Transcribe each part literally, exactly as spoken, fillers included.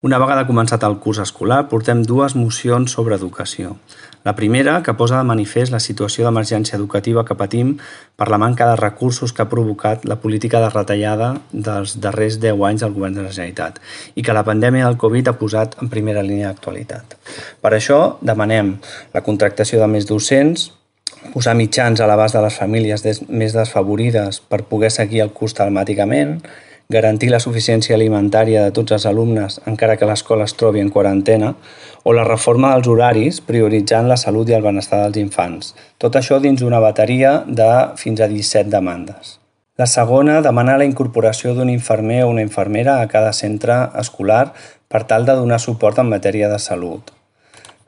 Una vegada començat el curs escolar, portem dues mocions sobre educació. La primera, que posa de manifest la situació d'emergència educativa que patim per la manca de recursos que ha provocat la política de retallada dels darrers deu anys del Govern de la Generalitat i que la pandèmia del Covid ha posat en primera línia d'actualitat. Per això demanem la contractació de més docents, posar mitjans a l'abast de les famílies més desfavorides per poder seguir el curs telemàticament, garantir la suficiència alimentària de tots els alumnes encara que l'escola es trobi en quarantena, o la reforma dels horaris prioritzant la salut i el benestar dels infants. Tot això dins d'una bateria de fins a disset demandes. La segona, demanar la incorporació d'un infermer o una infermera a cada centre escolar per tal de donar suport en matèria de salut.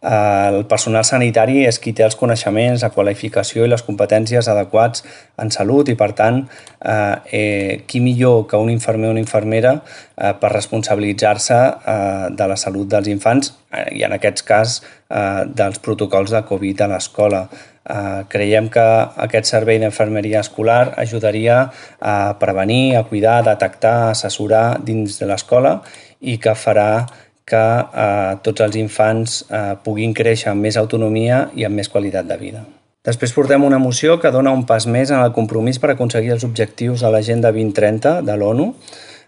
El personal sanitari és qui té els coneixements, la qualificació i les competències adequats en salut i, per tant, eh, qui millor que un infermer o una infermera eh, per responsabilitzar-se eh, de la salut dels infants eh, i, en aquest cas, eh, dels protocols de Covid a l'escola. Eh, creiem que aquest servei d'infermeria escolar ajudaria a prevenir, a cuidar, a detectar, a assessorar dins de l'escola i que farà que eh, tots els infants eh, puguin créixer amb més autonomia i amb més qualitat de vida. Després portem una moció que dona un pas més en el compromís per aconseguir els objectius de l'Agenda vint trenta de l'ONU.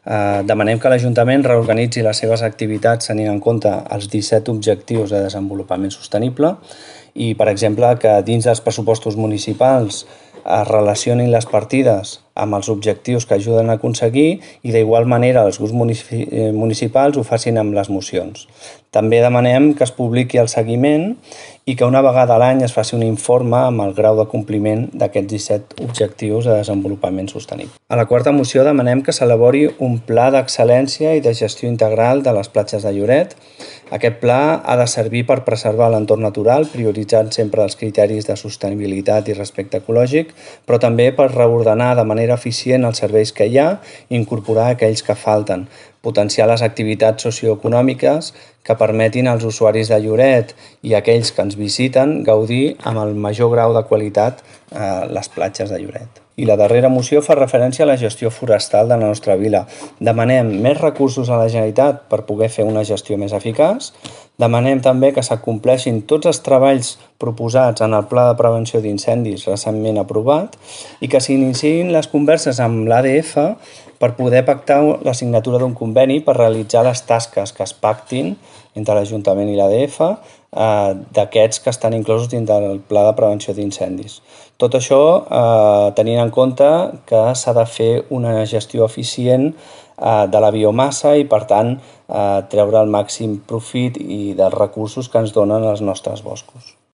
Eh, demanem que l'Ajuntament reorganitzi les seves activitats tenint en compte els disset objectius de desenvolupament sostenible i, per exemple, que dins dels pressupostos municipals es relacionin les partides amb els objectius que ajuden a aconseguir i d'igual manera els grups municipals ho facin amb les mocions. També demanem que es publiqui el seguiment i que una vegada a l'any es faci un informe amb el grau de compliment d'aquests disset objectius de desenvolupament sostenible. A la quarta moció demanem que s'elabori un pla d'excel·lència i de gestió integral de les platges de Lloret. Aquest pla ha de servir per preservar l'entorn natural, prioritzant sempre els criteris de sostenibilitat i respecte ecològic, però també per reordenar de manera eficient els serveis que hi ha i incorporar aquells que falten, potenciar les activitats socioeconòmiques que permetin als usuaris de Lloret i aquells que ens visiten gaudir amb el major grau de qualitat eh, les platges de Lloret. I la darrera moció fa referència a la gestió forestal de la nostra vila. Demanem més recursos a la Generalitat per poder fer una gestió més eficaç. Demanem també que s'acompleixin tots els treballs proposats en el Pla de Prevenció d'Incendis recentment aprovat i que s'iniciïn les converses amb l'A D F per poder pactar la signatura d'un conveni per realitzar les tasques que es pactin entre l'Ajuntament i l'A D F eh, d'aquests que estan inclosos dins del Pla de Prevenció d'Incendis. Tot això eh, tenint en compte que s'ha de fer una gestió eficient eh, de la biomassa i, per tant, eh, treure el màxim profit i dels recursos que ens donen els nostres boscos.